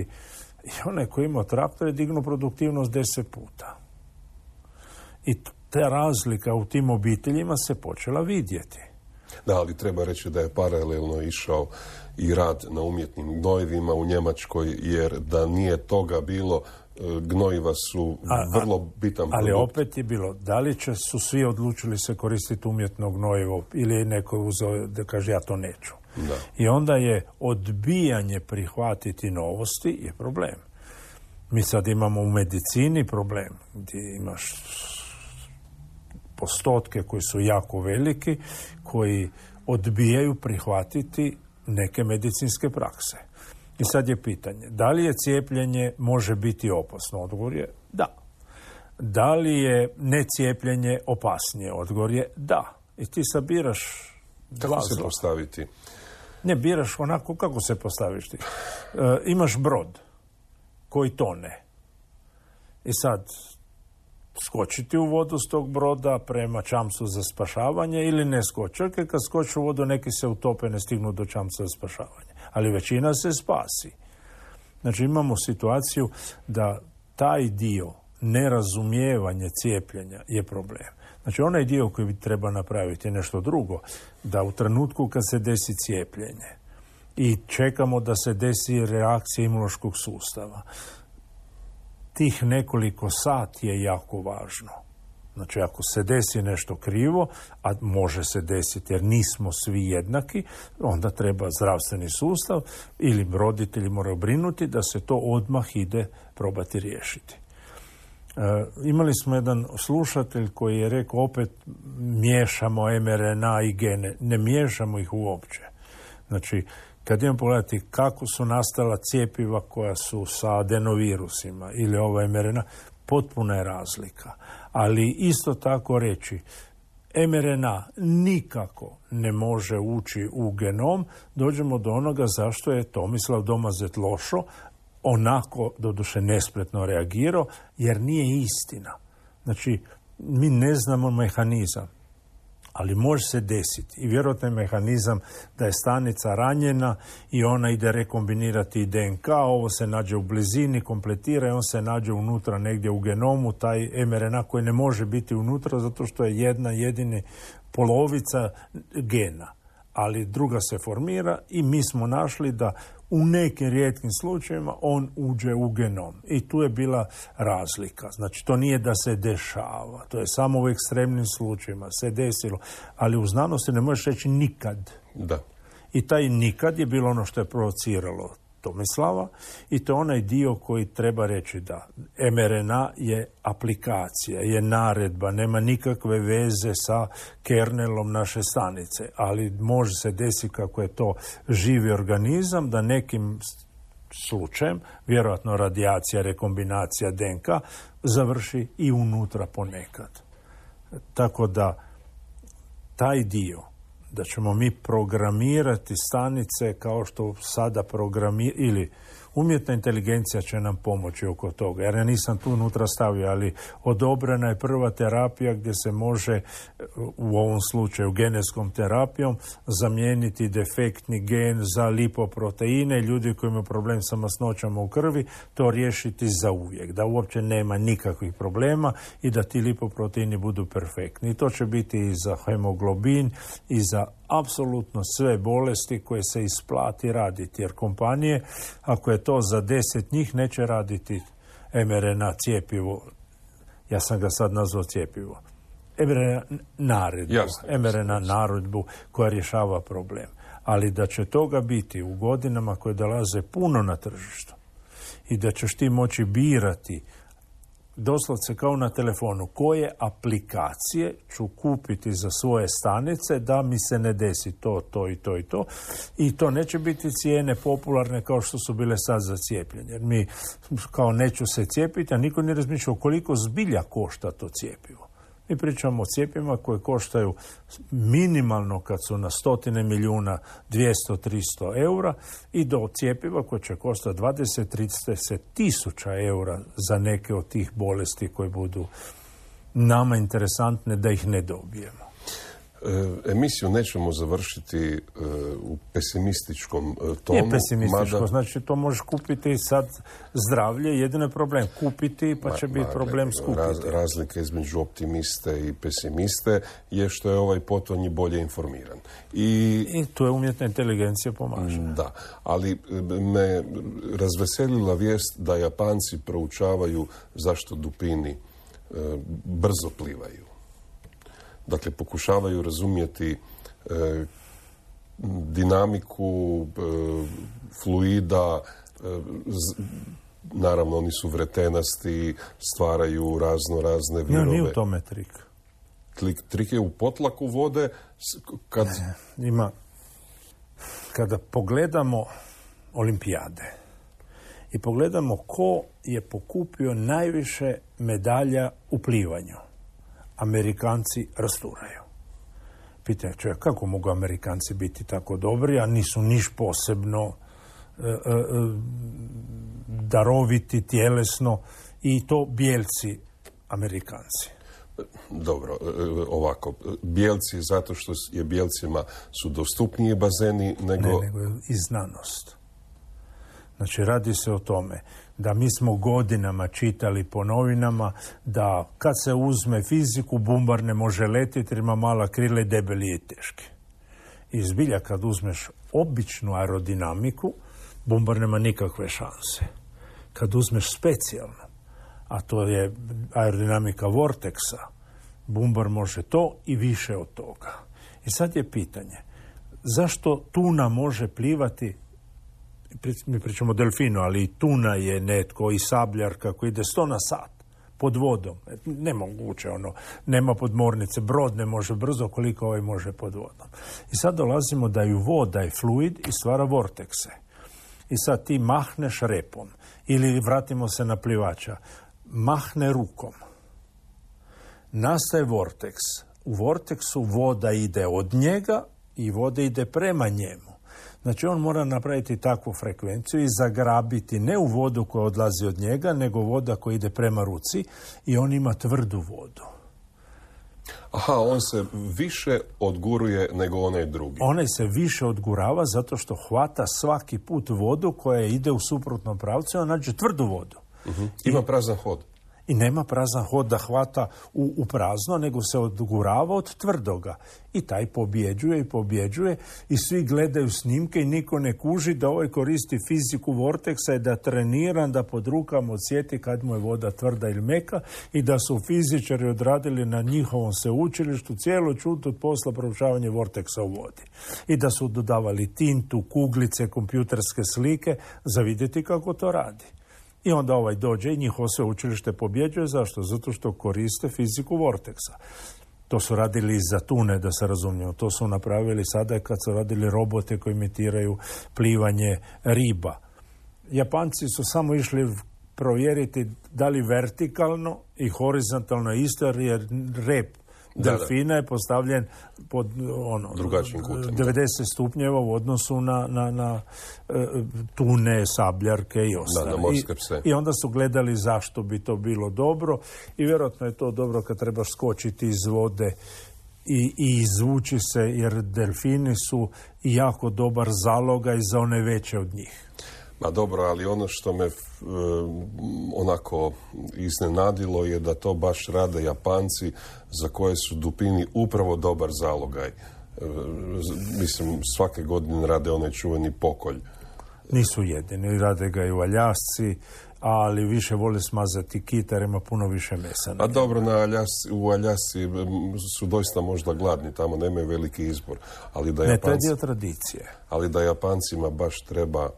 I onaj koji ima traktor je dignuo produktivnost deset puta. I ta razlika u tim obiteljima se počela vidjeti. Da, ali treba reći da je paralelno išao i rad na umjetnim gnojivima u Njemačkoj, jer da nije toga bilo, gnojiva su a, vrlo bitan ali produkt. Opet je bilo, da li će su svi odlučili se koristiti umjetno gnojivo ili je neko uzeo da kaže ja to neću. Da. I onda je odbijanje prihvatiti novosti je problem. Mi sad imamo u medicini problem gdje imaš postotke koji su jako veliki, koji odbijaju prihvatiti neke medicinske prakse. I sad je pitanje, da li je cijepljenje može biti opasno? Odgovor je da. Da li je necijepljenje opasnije? Odgovor je da. I ti sad biraš Kako se postaviti? Ne, biraš onako kako se postaviš ti. E, imaš brod koji tone. I sad skočiti u vodu s tog broda prema čamcu za spašavanje ili ne skoči. Čak kad skoči u vodu neki se utope, ne stignu do čamca za spašavanje. Ali većina se spasi. Znači imamo situaciju da taj dio nerazumijevanje cijepljenja je problem. Znači onaj dio koji bi treba napraviti je nešto drugo. Da u trenutku kad se desi cijepljenje i čekamo da se desi reakcija imunološkog sustava, tih nekoliko sati je jako važno. Znači, ako se desi nešto krivo, a može se desiti jer nismo svi jednaki, onda treba zdravstveni sustav ili roditelji moraju brinuti da se to odmah ide probati riješiti. E, imali smo jedan slušatelj koji je rekao opet miješamo em er en a i gene. Ne miješamo ih uopće. Znači, kad idemo pogledati kako su nastala cjepiva koja su sa adenovirusima ili ova em er en a, potpuna je razlika. Ali isto tako reći, em er en a nikako ne može ući u genom, dođemo do onoga zašto je Tomislav Domazet Lošo onako, doduše nespretno reagirao, jer nije istina. Znači, mi ne znamo mehanizam, ali može se desiti. I vjerojatno je mehanizam da je stanica ranjena i ona ide rekombinirati de en ka, ovo se nađe u blizini, kompletira i on se nađe unutra negdje u genomu, taj em er en a koji ne može biti unutra zato što je jedna jedina polovica gena. Ali druga se formira i mi smo našli da u nekim rijetkim slučajevima on uđe u genom. I tu je bila razlika. Znači, to nije da se dešava. To je samo u ekstremnim slučajevima se desilo. Ali u znanosti ne možeš reći nikad. Da. I taj nikad je bilo ono što je provociralo Tomislava i to je onaj dio koji treba reći da em er en a je aplikacija, je naredba, nema nikakve veze sa kernelom naše stanice, ali može se desiti kako je to živi organizam da nekim slučajem, vjerojatno radijacija, rekombinacija de en ka, završi i unutra ponekad. Tako da taj dio da ćemo mi programirati stanice kao što sada programira, ili umjetna inteligencija će nam pomoći oko toga. Jer ja nisam tu unutra stavio, ali odobrena je prva terapija gdje se može, u ovom slučaju genetskom terapijom, zamijeniti defektni gen za lipoproteine. Ljudi koji imaju problem sa masnoćama u krvi, to riješiti za uvijek. Da uopće nema nikakvih problema i da ti lipoproteini budu perfektni. I to će biti i za hemoglobin i za apsolutno sve bolesti koje se isplati raditi. Jer kompanije, ako je to za deset njih, neće raditi em er en a cijepivo. Ja sam ga sad nazvao cijepivo. em er en a naredbu. Jasne, em er en a naredbu koja rješava problem. Ali da će toga biti u godinama koje dolaze puno na tržištu i da ćeš ti moći birati doslovce kao na telefonu koje aplikacije ću kupiti za svoje stanice da mi se ne desi to, to i to i to. I to neće biti cijene popularne kao što su bile sad za cijepljenje. Jer mi kao neću se cijepiti, a niko ne razmišlja koliko zbilja košta to cijepivo. Mi pričamo o cijepima koje koštaju minimalno kad su na stotine milijuna dvjesto do tristo eura i do cijepiva koje će koštati dvadeset do trideset tisuća eura za neke od tih bolesti koje budu nama interesantne da ih ne dobijemo. Emisiju nećemo završiti u pesimističkom tonu. Nije pesimističko, mada... znači to možeš kupiti sad zdravlje, jedino je problem kupiti pa će ma, biti problem skupiti. Raz, razlika između optimiste i pesimiste je što je ovaj potonji bolje informiran. I, I tu je umjetna inteligencija pomaže. Da, ali me razveselila vijest da Japanci proučavaju zašto dupini e, brzo plivaju. Dakle, pokušavaju razumjeti e, dinamiku e, fluida, e, z, naravno oni su vretenasti, stvaraju razno razne virove. Ja, nije u tome trik. trik je u potlaku vode kad... Ne, ima, kada pogledamo olimpijade i pogledamo ko je pokupio najviše medalja u plivanju, Amerikanci rasturaju. Pitanje čovjek, kako mogu Amerikanci biti tako dobri, a nisu niš posebno e, e, daroviti tjelesno, i to bijelci Amerikanci. Dobro, ovako, bijelci zato što je bijelcima su dostupniji bazeni nego... Ne, nego i znanost. Znači, radi se o tome da mi smo godinama čitali po novinama da kad se uzme fiziku, bumbar ne može letiti jer ima mala krila i debeli i teški. I zbilja kad uzmeš običnu aerodinamiku, bumbar nema nikakve šanse. Kad uzmeš specijalno, a to je aerodinamika vorteksa, bumbar može to i više od toga. I sad je pitanje, zašto tuna može plivati, mi pričamo o delfinu, ali i tuna je netko, i sabljar kako ide sto na sat pod vodom. Nemoguće ono, nema podmornice, brod ne može brzo koliko ovaj može pod vodom. I sad dolazimo da i voda je fluid i stvara vortekse. I sad ti mahneš repom, ili vratimo se na plivača, mahne rukom. Nastaje vorteks. U vorteksu voda ide od njega i voda ide prema njemu. Znači on mora napraviti takvu frekvenciju i zagrabiti ne u vodu koja odlazi od njega, nego voda koja ide prema ruci, i on ima tvrdu vodu. Aha, on se više odguruje nego onaj drugi. Onaj se više odgurava zato što hvata svaki put vodu koja ide u suprotnom pravcu, a nađe tvrdu vodu. Uh-huh. Ima prazan hod. I nema prazan hod da hvata u, u prazno, nego se odgurava od tvrdoga. I taj pobjeđuje i pobjeđuje i svi gledaju snimke i niko ne kuži da ovaj koristi fiziku vorteksa i da treniran da pod rukama odsjeti kad mu je voda tvrda ili meka, i da su fizičari odradili na njihovom sveučilištu cijelo čut od posla proučavanje vorteksa u vodi. I da su dodavali tintu, kuglice, kompjuterske slike za vidjeti kako to radi. I onda ovaj dođe i njihovo sveučilište pobjeđuje. Zašto? Zato što koriste fiziku vorteksa. To su radili za tune, da se razumijemo. To su napravili sada kad su radili robote koji imitiraju plivanje riba. Japanci su samo išli provjeriti da li vertikalno i horizontalno isto, jer rep delfina je postavljen pod ono, drugačijim kutem, devedeset stupnjeva u odnosu na, na, na uh, tune, sabljarke i ostale. Na, na morske pse. I, I onda su gledali zašto bi to bilo dobro, i vjerojatno je to dobro kad trebaš skočiti iz vode i, i izvući se, jer delfini su jako dobar zalogaj za one veće od njih. Ma dobro, ali ono što me e, onako iznenadilo je da to baš rade Japanci, za koje su dupini upravo dobar zalogaj. E, mislim, svake godine rade onaj čuveni pokolj. Nisu jedini, rade ga i u Aljasci, ali više vole smazati kita jer ima puno više mesa. A dobro, na Aljasci, u Aljasci su doista možda gladni, tamo nemaju veliki izbor. Ali da ne, Japanci, to je dio tradicije. Ali da Japancima baš treba...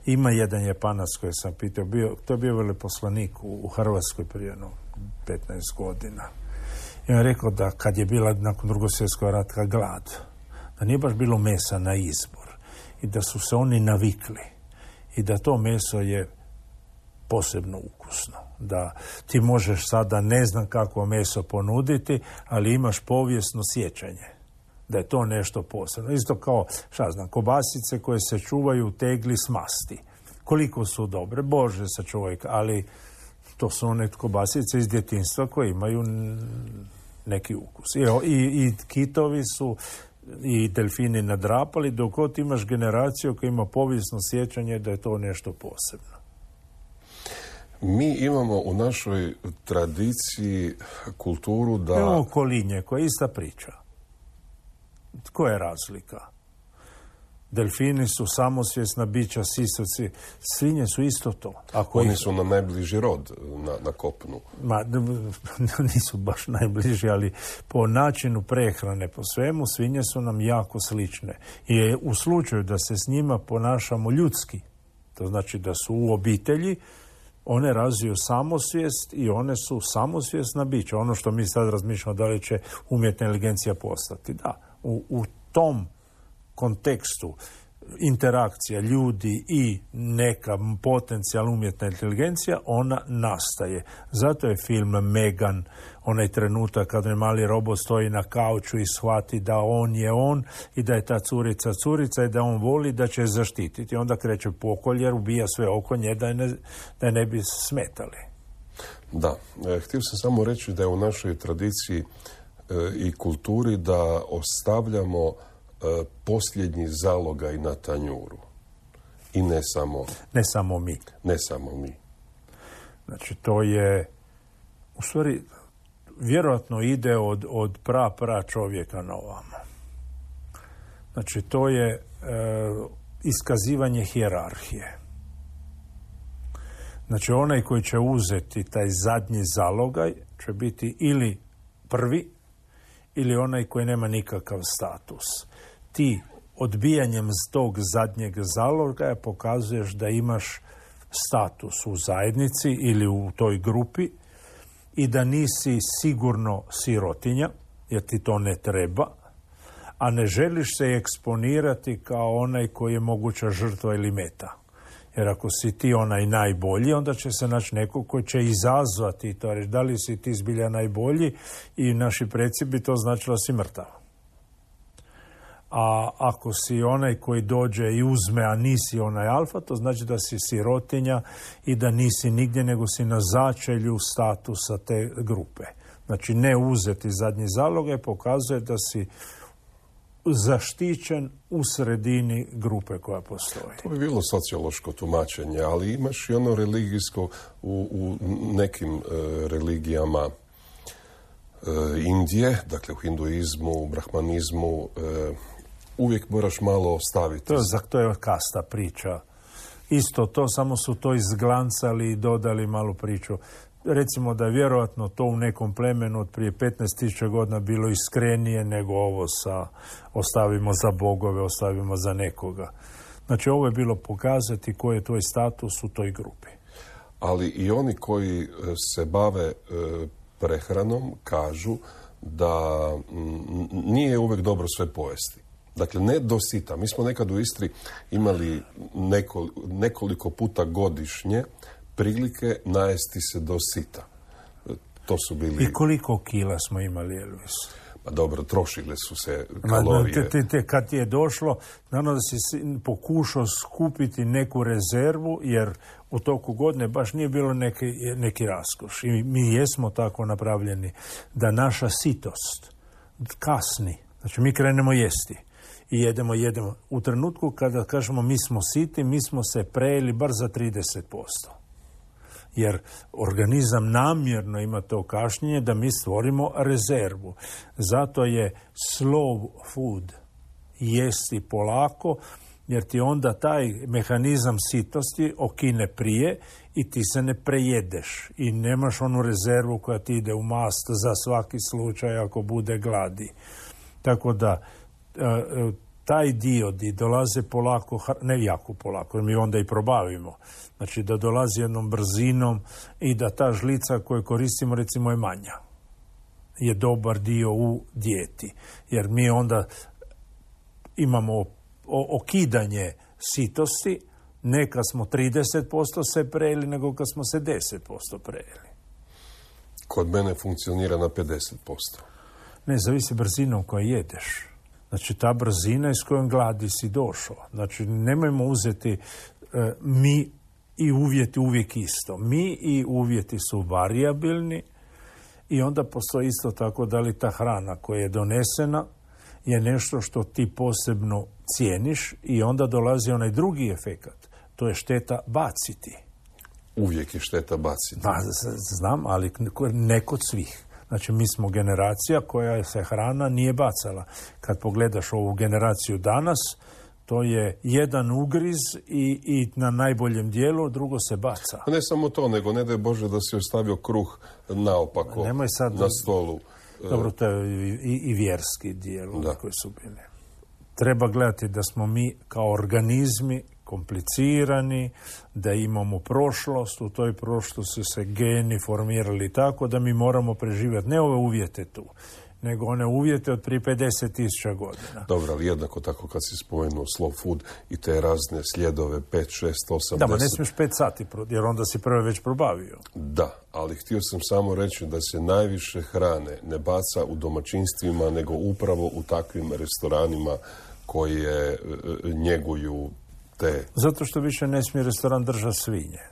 Ima jedan Japanac koji sam pitao, bio, to je bio veleposlanik u, u Hrvatskoj prije no, petnaest godina. I on je rekao da kad je bila nakon Drugog svjetskog rata glad, da nije baš bilo mesa na izbor i da su se oni navikli i da to meso je posebno ukusno. Da ti možeš sada ne znam kakvo meso ponuditi, ali imaš povijesno sjećanje da je to nešto posebno. Isto kao, šta znam, kobasice koje se čuvaju u tegli s masti. Koliko su dobre, Bože sačuvaj, ali to su one kobasice iz djetinjstva koje imaju neki ukus. I, i, i kitovi su i delfini nadrapali, dok god imaš generaciju koja ima povijesno sjećanje da je to nešto posebno. Mi imamo u našoj tradiciji kulturu da... Imamo kolinje, koja je ista priča. Koja je razlika? Delfini su samosvjesna bića, sisavci, svinje su isto to. Ako Oni ih... su na najbliži rod na, na kopnu. Ma, nisu baš najbliži, ali po načinu prehrane, po svemu, svinje su nam jako slične. I u slučaju da se s njima ponašamo ljudski, to znači da su u obitelji, one razviju samosvijest i one su samosvjesna bića. Ono što mi sad razmišljamo da li će umjetna inteligencija postati. Da, u, u tom kontekstu interakcija ljudi i neka potencijalna umjetna inteligencija, ona nastaje. Zato je film Megan, onaj trenutak kad je mali robot stoji na kauču i shvati da on je on i da je ta curica curica i da on voli da će je zaštititi. Onda kreće pokolj jer ubija sve oko nje da je ne, da je ne bi smetali. Da, e, htio sam samo reći da je u našoj tradiciji e, i kulturi da ostavljamo posljednji zalogaj na tanjuru. I ne samo... Ne samo mi. Ne samo mi. Znači, to je... U stvari, vjerojatno ide od, od pra, pra čovjeka na ovamo. Znači, to je e, iskazivanje hijerarhije. Znači, onaj koji će uzeti taj zadnji zalogaj će biti ili prvi, ili onaj koji nema nikakav status. Ti odbijanjem tog zadnjeg zalogaja pokazuješ da imaš status u zajednici ili u toj grupi i da nisi sigurno sirotinja, jer ti to ne treba, a ne želiš se eksponirati kao onaj koji je moguća žrtva ili meta. Jer ako si ti onaj najbolji, onda će se naći neko koji će izazvati to, reći da li si ti zbilja najbolji i naši preci bi to značilo si mrtav. A ako si onaj koji dođe i uzme, a nisi onaj alfa, to znači da si sirotinja i da nisi nigdje, nego si na začelju statusa te grupe. Znači ne uzeti zadnji zalogaj pokazuje da si zaštićen u sredini grupe koja postoji. To bi bilo sociološko tumačenje, ali imaš i ono religijsko u, u nekim e, religijama e, Indije, dakle u hinduizmu, u brahmanizmu, e, uvijek moraš malo ostaviti. To je, to je kasta priča. Isto to, samo su to izglancali i dodali malu priču. Recimo da je vjerojatno to u nekom plemenu od prije petnaest tisuća godina bilo iskrenije nego ovo sa ostavimo za bogove, ostavimo za nekoga. Znači ovo je bilo pokazati koji je tvoj status u toj grupi. Ali i oni koji se bave e, prehranom kažu da m, nije uvijek dobro sve pojesti. Dakle, ne do sita. Mi smo nekad u Istri imali neko, nekoliko puta godišnje prilike najesti se do sita. To su bili... I koliko kila smo imali, Elvis? Pa dobro, trošile su se kalorije. Te, te, te, kad ti je došlo, naravno da si pokušao skupiti neku rezervu, jer u toku godine baš nije bilo neki, neki raskoš. I mi jesmo tako napravljeni da naša sitost kasni. Znači, mi krenemo jesti. I jedemo, jedemo. U trenutku kada kažemo mi smo siti, mi smo se prejeli bar za trideset posto. Jer organizam namjerno ima to kašnjenje da mi stvorimo rezervu. Zato je slow food, jesti polako, jer ti onda taj mehanizam sitosti okine prije i ti se ne prejedeš i nemaš onu rezervu koja ti ide u mast za svaki slučaj ako bude gladi. Tako da taj dio di dolaze polako, ne jako polako, jer mi onda i probavimo. Znači da dolazi jednom brzinom i da ta žlica koju koristimo recimo je manja. Je dobar dio u dijeti. Jer mi onda imamo okidanje sitosti, ne kad smo trideset posto se prejeli, nego kad smo se deset posto prejeli. Kod mene funkcionira na pedeset posto. Ne, zavisi brzinom koju jedeš. Znači, ta brzina s kojom gladi si došao. Znači, nemojmo uzeti e, mi i uvjeti uvijek isto. Mi i uvjeti su varijabilni i onda postoji isto tako da li ta hrana koja je donesena je nešto što ti posebno cijeniš i onda dolazi onaj drugi efekat. To je šteta baciti. Uvijek je šteta baciti. Pa, znam, ali ne kod svih. Znači, mi smo generacija koja se hrana nije bacala. Kad pogledaš ovu generaciju danas, to je jedan ugriz i, i na najboljem dijelu, drugo se baca. Ne samo to, nego ne daj Bože da si ostavio kruh naopako Nemoj sad, na stolu. Dobro, to je i, i vjerski dijelu koji su bili. Treba gledati da smo mi kao organizmi komplicirani, da imamo prošlost, u toj prošlosti se geni formirali tako da mi moramo preživjeti ne ove uvjete tu, nego one uvjete od prije pedeset tisuća godina. Dobro, ali jednako tako kad si spomenuo slow food i te razne sljedove pet, šest, osam, Da, ma ne deset... smiješ pet sati, jer onda si prve već probavio. Da, ali htio sam samo reći da se najviše hrane ne baca u domaćinstvima, nego upravo u takvim restoranima koje njeguju te... Zato što više ne smije restoran držati svinje.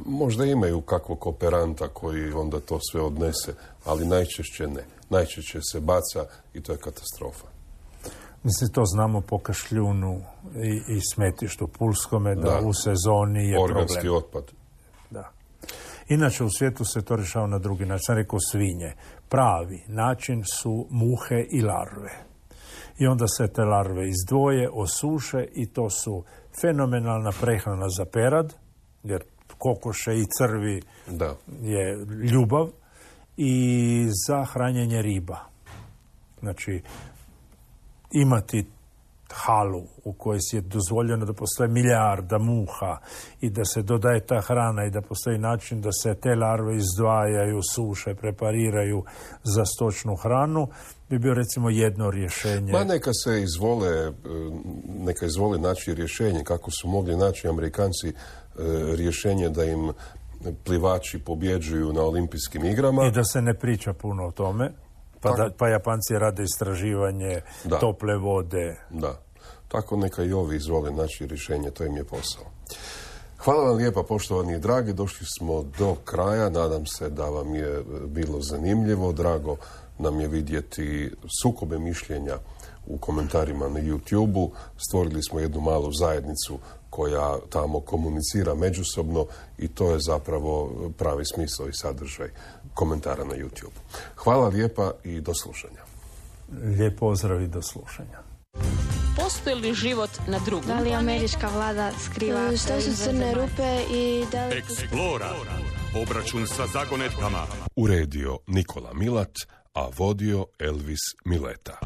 Možda imaju kakvog kooperanta koji onda to sve odnese, ali najčešće ne. Najčešće se baca i to je katastrofa. Mislim, to znamo po Kašljunu i, i smetištu Pulskome, da, da u sezoni je organski problem. otpad. Da. Inače, u svijetu se to rješava na drugi način. Sam rekao svinje. Pravi način su muhe i larve. I onda se te larve izdvoje, osuše i to su fenomenalna prehrana za perad, jer kokoše i crvi da. je ljubav, i za hranjenje riba. Znači, imati halu u kojoj je dozvoljeno da postoje milijarda muha i da se dodaje ta hrana i da postoji način da se te larve izdvajaju, suše, prepariraju za stočnu hranu, bi bio recimo jedno rješenje. Ma neka se izvole, neka izvole naći rješenje, kako su mogli naći Amerikanci rješenje da im plivači pobjeđuju na olimpijskim igrama. I da se ne priča puno o tome. Pa, da, pa Japanci rade istraživanje da. tople vode. Da. Tako neka i ovi izvole naći rješenje, to im je posao. Hvala vam lijepa, poštovani i dragi. Došli smo do kraja. Nadam se da vam je bilo zanimljivo. Drago nam je vidjeti sukobe mišljenja u komentarima na YouTube-u. Stvorili smo jednu malu zajednicu koja tamo komunicira međusobno i to je zapravo pravi smisao i sadržaj komentara na YouTube. Hvala lijepa i do slušanja. Lijep pozdrav i do slušanja. Postoji li život na drugom? Da li američka vlada skriva? Što su crne rupe i da li... Eksplora. Obračun sa zagonetkama. Uredio Nikola Milat, a vodio Elvis Mileta.